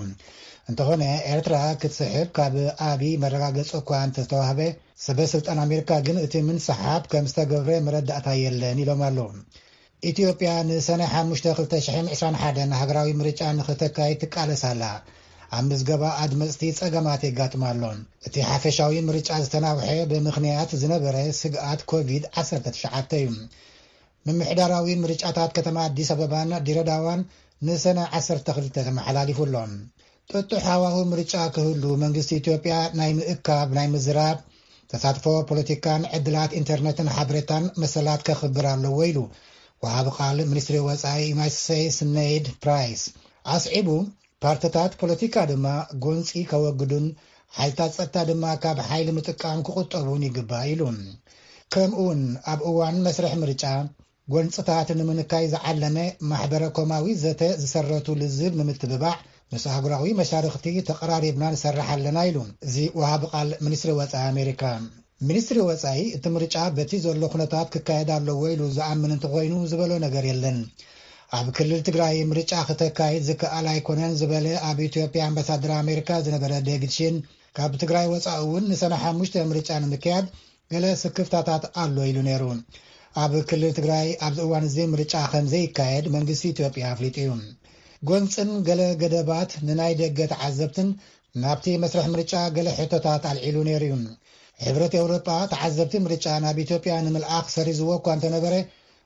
እንተኾነ ኤርትራ ክትስሕብ ካብ ኣብይ መረጋገጺ እኳ እንተተዋህበ፣ ሰበ ስልጣን ኣሜሪካ ግን እቲ ምንስሓብ ከም ዝተገብረ መረዳእታ የለን ኢሎም ኣለዉ። ኢትዮጵያ ንሰነ ሓሙሽተ ክልተ ሽሕን ዕስራን ሓደን ሃገራዊ ምርጫ ንኽተካይድ ትቃለስ ኣላ። ኣብ ምዝገባ ኣድመፅቲ ፀገማት የጋጥማ ኣሎ። እቲ ሓፈሻዊ ምርጫ ዝተናውሐ ብምኽንያት ዝነበረ ስግኣት ኮቪድ ዓሰርተ ትሽዓተ እዩ። ምምሕዳራዊ ምርጫታት ከተማ ኣዲስ ኣበባን ድሬዳዋን ንሰነ ዓሰርተ ክልተ ተመሓላሊፉ ኣሎ። ጥጡሕ ሃዋሁ ምርጫ ክህሉ መንግስቲ ኢትዮጵያ ናይ ምእካብ፣ ናይ ምዝራብ፣ ተሳትፎ ፖለቲካን ዕድላት ኢንተርነትን ሓበሬታን መሰላት ከኽብር ኣለዎ ኢሉ ወሃቢ ቃል ሚኒስትሪ ወጻኢ ዩናይትድ ስቴትስ ኔድ ፕራይስ። ኣስዒቡ ፓርትታት ፖለቲካ ድማ ጎንጺ ከወግዱን ሓይልታት ጸጥታ ድማ ካብ ሓይሊ ምጥቃም ክቑጠቡን ይግባእ ኢሉ። ከምኡውን ኣብ እዋን መስርሕ ምርጫ ጎንፅታት ንምንካይ ዝዓለመ ማሕበረ ኮማዊ ዘተ ዝሰረቱ ልዝብ ንምትብባዕ ምስ ኣህጉራዊ መሻርኽቲ ተቐራሪብና ንሰርሕ ኣለና ኢሉ እዚ ወሃቢ ቃል ሚኒስትሪ ወፃኢ ኣሜሪካ። ሚኒስትሪ ወፃኢ እቲ ምርጫ በቲ ዘሎ ኩነታት ክካየድ ኣለዎ ኢሉ ዝኣምን እንተኾይኑ ዝበሎ ነገር የለን። ኣብ ክልል ትግራይ ምርጫ ክተካይድ ዝከኣል ኣይኮነን ዝበለ ኣብ ኢትዮጵያ ኣምባሳደር ኣሜሪካ ዝነበረ ዴቪድ ሺን ካብ ትግራይ ወፃኢ እውን ንሰነ ሓሙሽተ ምርጫ ንምክያድ ገለ ስክፍታታት ኣሎ ኢሉ ነይሩ። ኣብ ክልል ትግራይ ኣብዚ እዋን እዚ ምርጫ ከም ዘይካየድ መንግስቲ ኢትዮጵያ ኣፍሊጡ እዩ። ጎንፅን ገለ ገደባት ንናይ ደገ ተዓዘብትን ናብቲ መስርሕ ምርጫ ገለ ሕቶታት ኣልዒሉ ነይሩ እዩ። ሕብረት ኤውሮጳ ተዓዘብቲ ምርጫ ናብ ኢትዮጵያ ንምልኣኽ ሰሪዝዎ እኳ እንተነበረ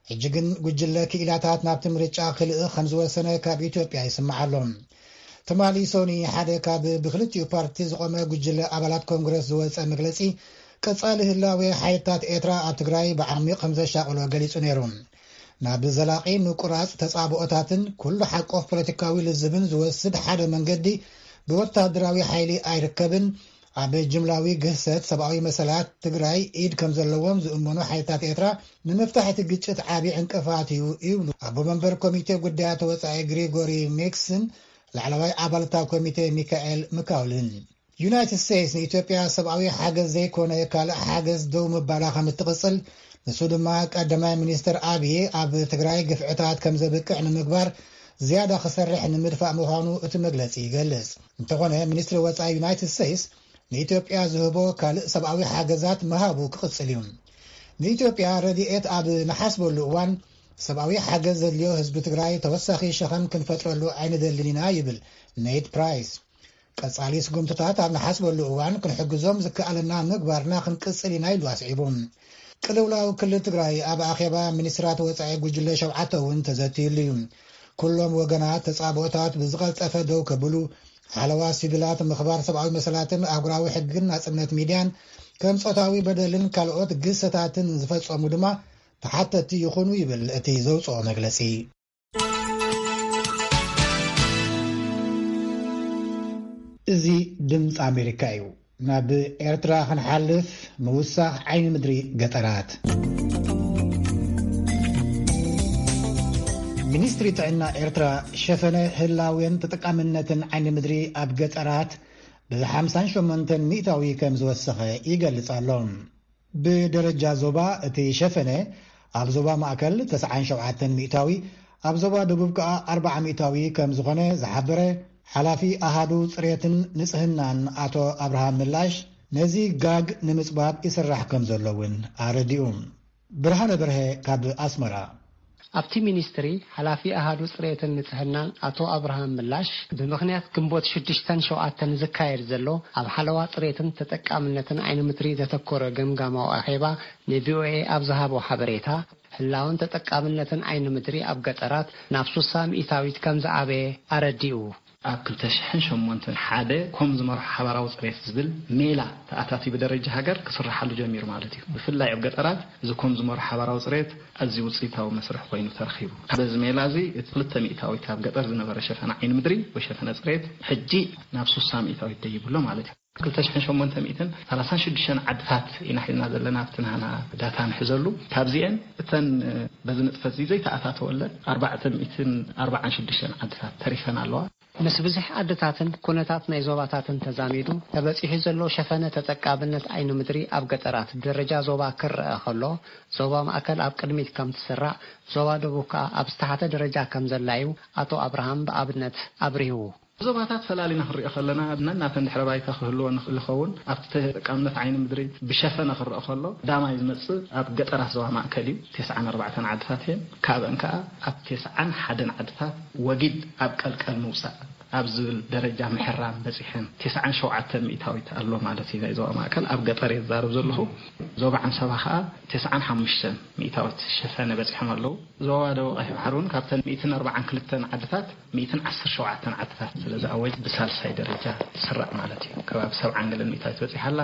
ሕጂ ግን ጉጅለ ክኢላታት ናብቲ ምርጫ ክልእኽ ከም ዝወሰነ ካብ ኢትዮጵያ ይስማዕ ኣሎ። ትማሊ ሶኒ ሓደ ካብ ብክልቲኡ ፓርቲ ዝቆመ ጉጅለ ኣባላት ኮንግረስ ዝወፀ መግለፂ ቀፃሊ ህላዌ ሓይልታት ኤርትራ ኣብ ትግራይ ብዓሚቕ ከም ዘሻቕሎ ገሊፁ ነይሩ። ናብ ዘላቒ ምቁራፅ ተፃብኦታትን ኩሉ ሓቆፍ ፖለቲካዊ ልዝብን ዝወስድ ሓደ መንገዲ ብወታደራዊ ሓይሊ ኣይርከብን። ኣብ ጅምላዊ ግህሰት ሰብኣዊ መሰላት ትግራይ ኢድ ከም ዘለዎም ዝእመኑ ሓይልታት ኤርትራ ንምፍታሕ እቲ ግጭት ዓቢ ዕንቅፋት እዩ ይብሉ ኣቦ መንበር ኮሚቴ ጉዳያት ወፃኢ ግሪጎሪ ሜክስን ላዕለዋይ ኣባልታ ኮሚቴ ሚካኤል ምካውልን። ዩናይትድ ስቴትስ ንኢትዮጵያ ሰብኣዊ ሓገዝ ዘይኮነ ካልእ ሓገዝ ደው ምባላ ከም እትቕጽል፣ ንሱ ድማ ቀዳማይ ሚኒስትር ኣብይ ኣብ ትግራይ ግፍዕታት ከም ዘብቅዕ ንምግባር ዝያዳ ክሰርሕ ንምድፋእ ምዃኑ እቲ መግለጺ ይገልጽ። እንተኾነ፣ ሚኒስትሪ ወጻኢ ዩናይትድ ስቴትስ ንኢትዮጵያ ዝህቦ ካልእ ሰብኣዊ ሓገዛት ምሃቡ ክቕጽል እዩ። ንኢትዮጵያ ረድኤት ኣብ ንሓስበሉ እዋን፣ ሰብኣዊ ሓገዝ ዘድልዮ ህዝቢ ትግራይ ተወሳኺ ሸኸም ክንፈጥረሉ ኣይንደልን ኢና ይብል ኔድ ፕራይስ። ቀጻሊ ስጉምትታት ኣብ ንሓስበሉ እዋን ክንሕግዞም ዝከኣለና ምግባርና ክንቅጽል ኢና ኢሉ ኣስዒቡ። ቅልውላው ክልል ትግራይ ኣብ ኣኼባ ሚኒስትራት ወጻኢ ጉጅለ ሸውዓተ እውን ተዘትዩሉ እዩ። ኩሎም ወገናት ተጻብኦታት ብዝቐልጠፈ ደው ከብሉ፣ ሓለዋ ሲቪላት፣ ምኽባር ሰብኣዊ መሰላትን ኣህጉራዊ ሕግን ናጽነት ሚድያን ከም ጾታዊ በደልን ካልኦት ግሰታትን ዝፈጸሙ ድማ ተሓተቲ ይኹኑ ይብል እቲ ዘውፅኦ መግለፂ። እዚ ድምፂ ኣሜሪካ እዩ። ናብ ኤርትራ ክንሓልፍ ምውሳኽ ዓይኒ ምድሪ ገጠራት። ሚኒስትሪ ጥዕና ኤርትራ ሸፈነ ህላዌን ተጠቃምነትን ዓይኒ ምድሪ ኣብ ገጠራት ብ ሓምሳን ሸሞንተን ሚእታዊ ከም ዝወሰኸ ይገልጽ ኣሎ። ብደረጃ ዞባ እቲ ሸፈነ ኣብ ዞባ ማእከል ተስዓን ሸውዓተን ሚእታዊ፣ ኣብ ዞባ ደቡብ ከኣ ኣርብዓ ሚእታዊ ከም ዝኾነ ዝሓበረ ሓላፊ ኣሃዱ ጽሬትን ንጽህናን ኣቶ ኣብርሃም ምላሽ፣ ነዚ ጋግ ንምጽባብ ይስራሕ ከም ዘሎ እውን ኣረዲኡ። ብርሃነ በርሀ ካብ ኣስመራ። ኣብቲ ሚኒስትሪ ሓላፊ ኣሃዱ ጽሬትን ንጽህናን ኣቶ ኣብርሃም ምላሽ፣ ብምኽንያት ግንቦት ሽዱሽተን ሸውዓተን ዝካየድ ዘሎ ኣብ ሓለዋ ጽሬትን ተጠቃምነትን ዓይኒ ምድሪ ዘተኮረ ገምጋማዊ ኣኼባ ንቪኦኤ ኣብ ዝሃቦ ሓበሬታ፣ ህላውን ተጠቃምነትን ዓይኒ ምድሪ ኣብ ገጠራት ናብ ሱሳ ሚእታዊት ከም ዝዓበየ ኣረዲኡ። ኣብ ክልተ ሽሕን ሸሞንተን ሓደ ኮም ዝመርሖ ሓባራዊ ጽሬት ዝብል ሜላ ተኣታትዩ ብደረጃ ሃገር ክስርሓሉ ጀሚሩ ማለት እዩ። ብፍላይ ኣብ ገጠራት እዚ ኮም ዝመርሖ ሓባራዊ ጽሬት ኣዝዩ ውጽኢታዊ መስርሕ ኮይኑ ተረኺቡ። በዚ ሜላ እዚ እቲ ክልተ ሚእታዊት ኣብ ገጠር ዝነበረ ሸፈነ ዓይኒ ምድሪ ወይ ሸፈነ ጽሬት ሕጂ ናብ ሱሳ ሚእታዊት ደይቡ ኣሎ ማለት እዩ። ክልተ ሽሕን ሸሞንተ ሚእትን ሰላሳን ሽዱሽተን ዓድታት ኢና ሒዝና ዘለና ኣብቲ ናህና ዳታ ንሕዘሉ። ካብዚኤን እተን በዚ ንጥፈት እዚ ዘይተኣታተወለን ኣርባዕተ ሚእትን ኣርባዓን ሽዱሽተን ዓድታት ተሪፈን ኣለዋ። ምስ ብዝሒ ዓድታትን ኩነታት ናይ ዞባታትን ተዛሚዱ ተበጺሑ ዘሎ ሸፈነ ተጠቃምነት ዓይኒ ምድሪ ኣብ ገጠራት ብደረጃ ዞባ ክረኣ ከሎ፣ ዞባ ማእከል ኣብ ቅድሚት ከም ትስራዕ፣ ዞባ ደቡብ ከኣ ኣብ ዝተሓተ ደረጃ ከም ዘላ እዩ ኣቶ ኣብርሃም ብኣብነት ኣብሪሁ። ዞባታት ፈላሊና ክንሪኦ ከለና፣ ነናተን ድሕረ ባይታ ክህልወን ይኽእል ይኸውን። ኣብቲ ተጠቃምነት ዓይኒ ምድሪ ብሸፈነ ክረኣ ከሎ፣ ቀዳማይ ዝመጽእ ኣብ ገጠራት ዞባ ማእከል እዩ። ተስዓን ኣርባዕተን ዓድታት እየን። ካብአን ከኣ ኣብ ተስዓን ሓደን ዓድታት ወጊድ ኣብ ቀልቀል ምውጻእ ኣብ ዝብል ደረጃ ምሕራም በጺሐን። ተስዓን ሸውዓተን ሚእታዊት ኣሎ ማለት እዩ። ናይ ዞባ ማእከል ኣብ ገጠር እየ ዝዛረብ ዘለኹ። ዞባ ዓንሰባ ከኣ ተስዓን ሓሙሽተን ሚእታዊት ሸፈነ በጺሖም ኣለዉ። ዞባ ደቡብ ቀይሕ ባሕሪ እውን ካብተን ሚእትን ኣርባዓን ክልተን ዓድታት ሚእትን ዓሰርተ ሸውዓተን ዓድታት ስለ ዝኣወጅ ብሳልሳይ ደረጃ ትስራዕ ማለት እዩ። ከባቢ ሰብዓን ገለን ሚእታዊት በጺሓ ኣላ።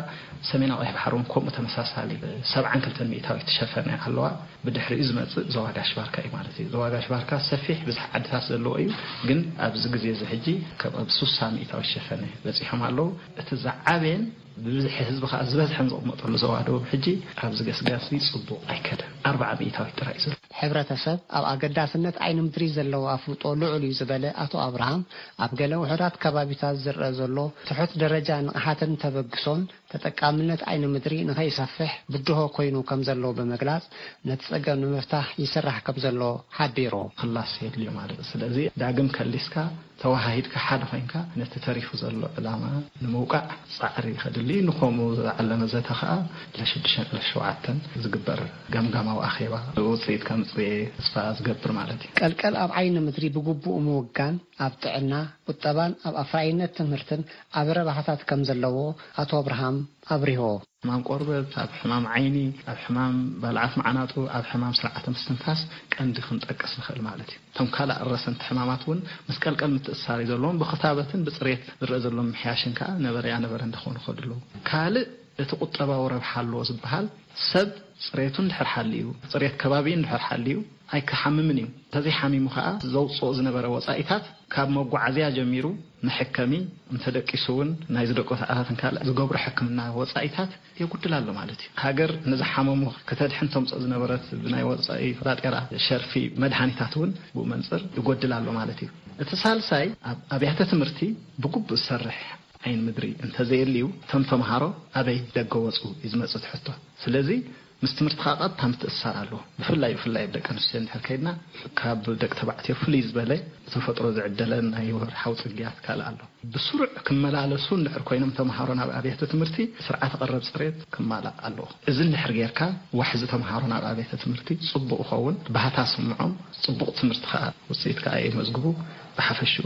ሰሜናዊ ቀይሕ ባሕሪ እውን ከምኡ ተመሳሳሊ ሰብዓን ክልተን ሚእታዊት ትሸፈነ ኣለዋ። ብድሕሪኡ ዝመጽእ ዞባ ጋሽ ባርካ እዩ ማለት እዩ። ዞባ ጋሽ ባርካ ሰፊሕ ብዝሒ ዓድታት ዘለዎ እዩ፣ ግን ኣብዚ ግዜ እዚ ሕጂ ካብ ኣብ ሱሳ ሚእታዊት ሸፈነ በጺሖም ኣለዉ። እቲ ዝዓበየን ብብዝሒ ህዝቢ ከኣ ዝበዝሐን ዝቕመጠሉ ዞባ ደቡብ ሕጂ ኣብዚ ገስጋስ እዚ ጽቡቕ ኣይከደን። ኣርባዓ ሚእታዊት ጥራይ እዩ ዘሎ። ሕብረተሰብ ኣብ ኣገዳስነት ዓይኒ ምድሪ ዘለዎ ኣፍልጦ ልዑል እዩ ዝበለ ኣቶ ኣብርሃም፣ ኣብ ገለ ውሑዳት ከባቢታት ዝረአ ዘሎ ትሑት ደረጃ ንቕሓትን ተበግሶን ተጠቃምነት ዓይኒ ምድሪ ንኸይሰፍሕ ብድሆ ኮይኑ ከም ዘሎ ብምግላጽ፣ ነቲ ጸገም ንምፍታሕ ይስራሕ ከም ዘሎ ሓቢሩ። ክላስ የድልዮ ማለት እዩ። ስለዚ ዳግም ከሊስካ ተወሃሂድካ ሓደ ኮይንካ ነቲ ተሪፉ ዘሎ ዕላማ ንምውቃዕ ጻዕሪ ከድሊ። ንኸምኡ ዝዓለመ ዘተ ከኣ ለሽዱሽተን ለሸውዓተን ዝግበር ገምጋማዊ ኣኼባ ውጽኢት ከምጽእ ተስፋ ዝገብር ማለት እዩ። ቀልቀል ኣብ ዓይኒ ምድሪ ብግቡእ ምውጋን ኣብ ጥዕና፣ ቁጠባን ኣብ ኣፍራይነት ትምህርትን ዓቢ ረብሓታት ከም ዘለዎ ኣቶ ኣብርሃም ኣብሪሆ። ሕማም ቆርበት፣ ኣብ ሕማም ዓይኒ፣ ኣብ ሕማም ባልዓት መዓናጡ፣ ኣብ ሕማም ስርዓተ ምስትንፋስ ቀንዲ ክንጠቅስ ንኽእል ማለት እዩ። እቶም ካልእ ረሰንቲ ሕማማት እውን ምስ ቀልቀል ምትእስሳር እዩ ዘለዎም። ብክታበትን ብፅሬት ዝረአ ዘሎ ምሕያሽን ከዓ ነበረ ያነበረ እንዳኾኑ ይኸዱ ኣለዉ። ካልእ እቲ ቁጠባዊ ረብሓ ኣለዎ ዝበሃል ሰብ ፅሬቱ እንድሕር ሓልዩ፣ ፅሬት ከባቢ እንድሕር ሓልዩ ኣይክሓምምን እዩ። እንተዘይሓሚሙ ከዓ ዘውፅኦ ዝነበረ ወፃኢታት ካብ መጓዓዝያ ጀሚሩ መሐከሚ፣ እንተደቂሱ እውን ናይ ዝደቆ ሰዓታትን ካልእ ዝገብሮ ሕክምና ወፃኢታት የጉድል ኣሎ ማለት እዩ። ሃገር ንዝሓመሙ ከተድሕን ተምፅኦ ዝነበረት ብናይ ወፃኢ ባጤራ ሸርፊ መድሓኒታት እውን ብኡ መንፅር ይጎድል ኣሎ ማለት እዩ። እቲ ሳልሳይ ኣብ ኣብያተ ትምህርቲ ብግቡእ ዝሰርሕ ዓይኒ ምድሪ እንተዘየልዩ እቶም ተምሃሮ ኣበይ ደገ ወፁ እዩ ዝመፅእ እቲ ሕቶ። ስለዚ ምስ ትምህርቲ ከዓ ቀጥታ ምትእስሳር ኣለዎ። ብፍላይ ብፍላይ ኣብ ደቂ ኣንስትዮ እንድሕር ከይድና ካብ ደቂ ተባዕትዮ ፍልይ ዝበለ ብተፈጥሮ ዝዕደለን ናይ ወርሓዊ ፅግያት ካልእ ኣሎ። ብስሩዕ ክመላለሱ እንድሕር ኮይኖም ተምሃሮ ናብ ኣብያተ ትምህርቲ ስርዓተ ቀረብ ፅሬት ክማላእ ኣለዎ። እዚ እንድሕር ጌርካ ዋሕዚ ተምሃሮ ናብ ኣብያተ ትምህርቲ ፅቡቕ ይኸውን፣ ባህታ ስምዖም፣ ፅቡቕ ትምህርቲ ከዓ ውፅኢት ከዓ የመዝግቡ። ብሓፈሽኡ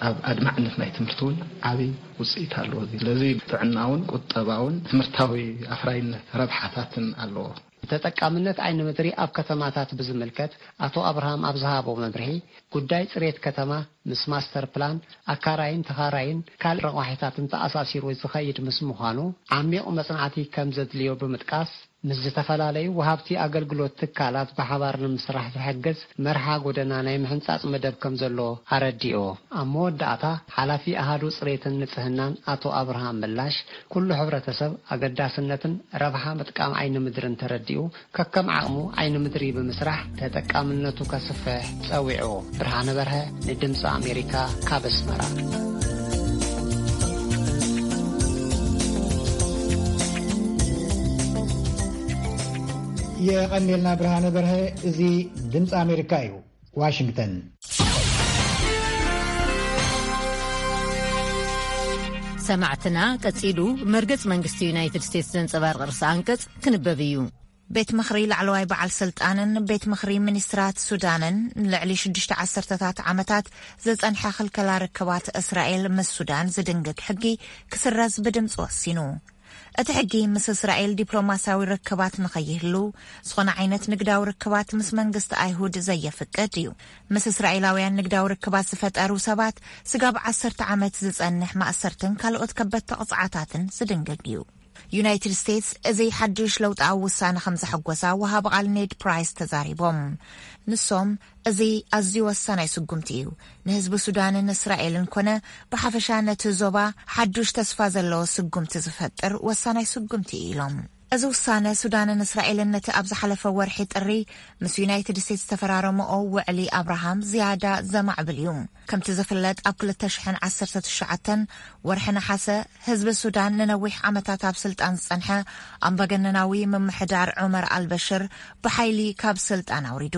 ኣብ ኣድማዕነት ናይ ትምህርቲ እውን ዓብዪ ውፅኢት ኣለዎ። ስለዚ ጥዕናውን ቁጠባውን ትምህርታዊ ኣፍራይነት ረብሓታትን ኣለዎ። ተጠቃምነት ዓይኒ ምድሪ ኣብ ከተማታት ብዝምልከት ኣቶ ኣብርሃም ኣብ ዝሃቦ መብርሂ፣ ጉዳይ ፅሬት ከተማ ምስ ማስተር ፕላን፣ ኣካራይን ተኻራይን ካልእ ረቋሒታትን ተኣሳሲሩ ዝኸይድ ምስ ምዃኑ ዓሚቕ መፅናዕቲ ከም ዘድልዮ ብምጥቃስ፣ ምስ ዝተፈላለዩ ወሃብቲ ኣገልግሎት ትካላት ብሓባር ንምስራሕ ዝሕግዝ መርሓ ጎደና ናይ ምሕንጻጽ መደብ ከም ዘሎ ኣረዲኡ። ኣብ መወዳእታ፣ ሓላፊ ኣሃዱ ጽሬትን ንጽህናን ኣቶ ኣብርሃም ምላሽ፣ ኩሉ ሕብረተሰብ ኣገዳስነትን ረብሓ ምጥቃም ዓይኒ ምድርን ተረዲኡ፣ ከከም ዓቕሙ ዓይኒ ምድሪ ብምስራሕ ተጠቃምነቱ ከስፍሕ ጸዊዑ። ብርሃነ በርሀ ንድምጺ ኣሜሪካ ካብ ኣስመራ። የቐኔልና ብርሃነ በርሀ። እዚ ድምፂ ኣሜሪካ እዩ፣ ዋሽንግተን። ሰማዕትና፣ ቀጺሉ መርገጽ መንግስቲ ዩናይትድ ስቴትስ ዘንጸባርቕ ርእሰ ኣንቀጽ ክንበብ እዩ። ቤት ምኽሪ ላዕለዋይ በዓል ስልጣንን ቤት ምኽሪ ሚኒስትራት ሱዳንን ንልዕሊ ሽዱሽተ ዓሰርተታት ዓመታት ዝጸንሐ ክልከላ ርክባት እስራኤል ምስ ሱዳን ዝድንግግ ሕጊ ክስረዝ ብድምፂ ወሲኑ። እቲ ሕጊ ምስ እስራኤል ዲፕሎማስያዊ ርክባት ንኸይህሉ፣ ዝኾነ ዓይነት ንግዳዊ ርክባት ምስ መንግስቲ ኣይሁድ ዘየፍቅድ እዩ። ምስ እስራኤላውያን ንግዳዊ ርክባት ዝፈጠሩ ሰባት ስጋብ ዓሰርተ ዓመት ዝጸንሕ ማእሰርትን ካልኦት ከበድቲ ቅጽዓታትን ዝድንግግ እዩ። ዩናይትድ ስቴትስ እዚ ሓድሽ ለውጣዊ ውሳነ ከም ዘሐጎሳ ወሃቢ ቃል ኔድ ፕራይስ ተዛሪቦም። ንሶም፣ እዚ ኣዝዩ ወሳናይ ስጉምቲ እዩ። ንህዝቢ ሱዳንን እስራኤልን ኮነ ብሓፈሻ ነቲ ዞባ ሓዱሽ ተስፋ ዘለዎ ስጉምቲ ዝፈጥር ወሳናይ ስጉምቲ እዩ ኢሎም። እዚ ውሳነ ሱዳንን እስራኤልን ነቲ ኣብ ዝሓለፈ ወርሒ ጥሪ ምስ ዩናይትድ ስቴትስ ዝተፈራረመኦ ውዕሊ ኣብርሃም ዝያዳ ዘማዕብል እዩ። ከምቲ ዝፍለጥ፣ ኣብ ክልተ ሽሕን ዓሰርተ ትሽዓተን ወርሒ ነሓሰ፣ ህዝቢ ሱዳን ንነዊሕ ዓመታት ኣብ ስልጣን ዝጸንሐ ኣምባገነናዊ ምምሕዳር ዑመር ኣልበሽር ብሓይሊ ካብ ስልጣን ኣውሪዱ።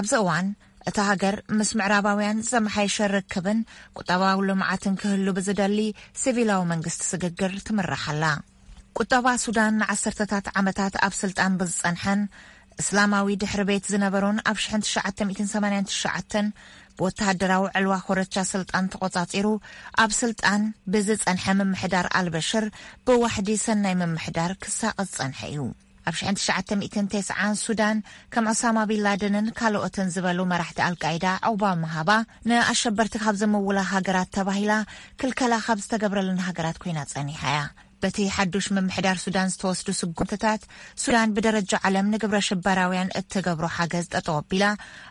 ኣብዚ እዋን፣ እታ ሃገር ምስ ምዕራባውያን ዘመሓየሸ ርክብን ቁጠባዊ ልምዓትን ክህሉ ብዝደሊ ሲቪላዊ መንግስቲ ስግግር ትምራሕ ኣላ። ቁጠባ ሱዳን ንዓሰርተታት ዓመታት ኣብ ስልጣን ብዝጸንሐን እስላማዊ ድሕሪ ቤት ዝነበሮን፣ ኣብ ሽሕን ትሽዓተ ሚእትን ሰማንያን ትሽዓተን ብወተሃደራዊ ዕልዋ ኮረቻ ስልጣን ተቖጻጺሩ ኣብ ስልጣን ብዝጸንሐ ምምሕዳር ኣልበሽር፣ ብዋሕዲ ሰናይ ምምሕዳር ክሳቐ ዝጸንሐ እዩ። ኣብ ሽሕን ትሽዓተ ሚእትን ተስዓን ሱዳን ከም ዑሳማ ቢን ላደንን ካልኦትን ዝበሉ መራሕቲ ኣልቃይዳ ዑቕባ ምሃባ፣ ንኣሸበርቲ ካብ ዝምውላ ሃገራት ተባሂላ ክልከላ ካብ ዝተገብረለን ሃገራት ኮይና ጸኒሓ እያ። በቲ ሓዱሽ ምምሕዳር ሱዳን ዝተወስዱ ስጉምትታት፣ ሱዳን ብደረጃ ዓለም ንግብረ ሽበራውያን እትገብሮ ሓገዝ ጠጠው ኣቢላ፣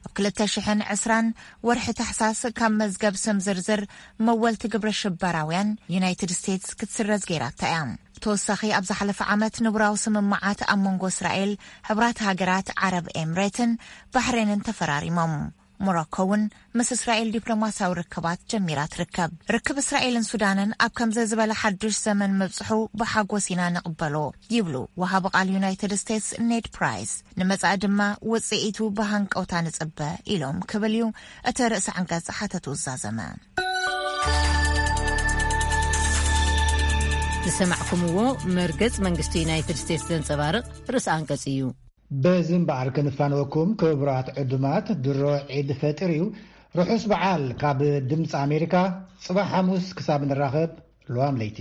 ኣብ ክልተ ሽሕን ዕስራን ወርሒ ታሕሳስ ካብ መዝገብ ስም ዝርዝር መወልቲ ግብረ ሽበራውያን ዩናይትድ ስቴትስ ክትስረዝ ገይራታ እያ። ብተወሳኺ ኣብ ዝሓለፈ ዓመት ንቡራዊ ስምምዓት ኣብ መንጎ እስራኤል፣ ሕብራት ሃገራት ዓረብ ኤምሬትን ባሕሬንን ተፈራሪሞም። ሞሮኮ እውን ምስ እስራኤል ዲፕሎማሲያዊ ርክባት ጀሚራ ትርከብ። ርክብ እስራኤልን ሱዳንን ኣብ ከምዚ ዝበለ ሓድሽ ዘመን ምብጽሑ ብሓጎስ ኢና ንቕበሎ፣ ይብሉ ወሃቢ ቃል ዩናይትድ ስቴትስ ኔድ ፕራይስ። ንመጻኢ ድማ ውጽኢቱ ብሃንቀውታ ንጽበ፣ ኢሎም ክብል እዩ እቲ ርእሰ ዓንቀጽ ሓተቱ ዝዛዘመ። ዝሰማዕኩምዎ መርገጽ መንግስቲ ዩናይትድ ስቴትስ ዘንጸባርቕ ርእሰ ኣንቀጽ እዩ። በዚ እምበኣር ክንፋነወኩም ክቡራት ዕዱማት፣ ድሮ ዒድ ፈጢር እዩ። ርሑስ በዓል ካብ ድምፂ ኣሜሪካ። ጽባሕ ሓሙስ ክሳብ ንራኸብ፣ ለዋም ለይቲ።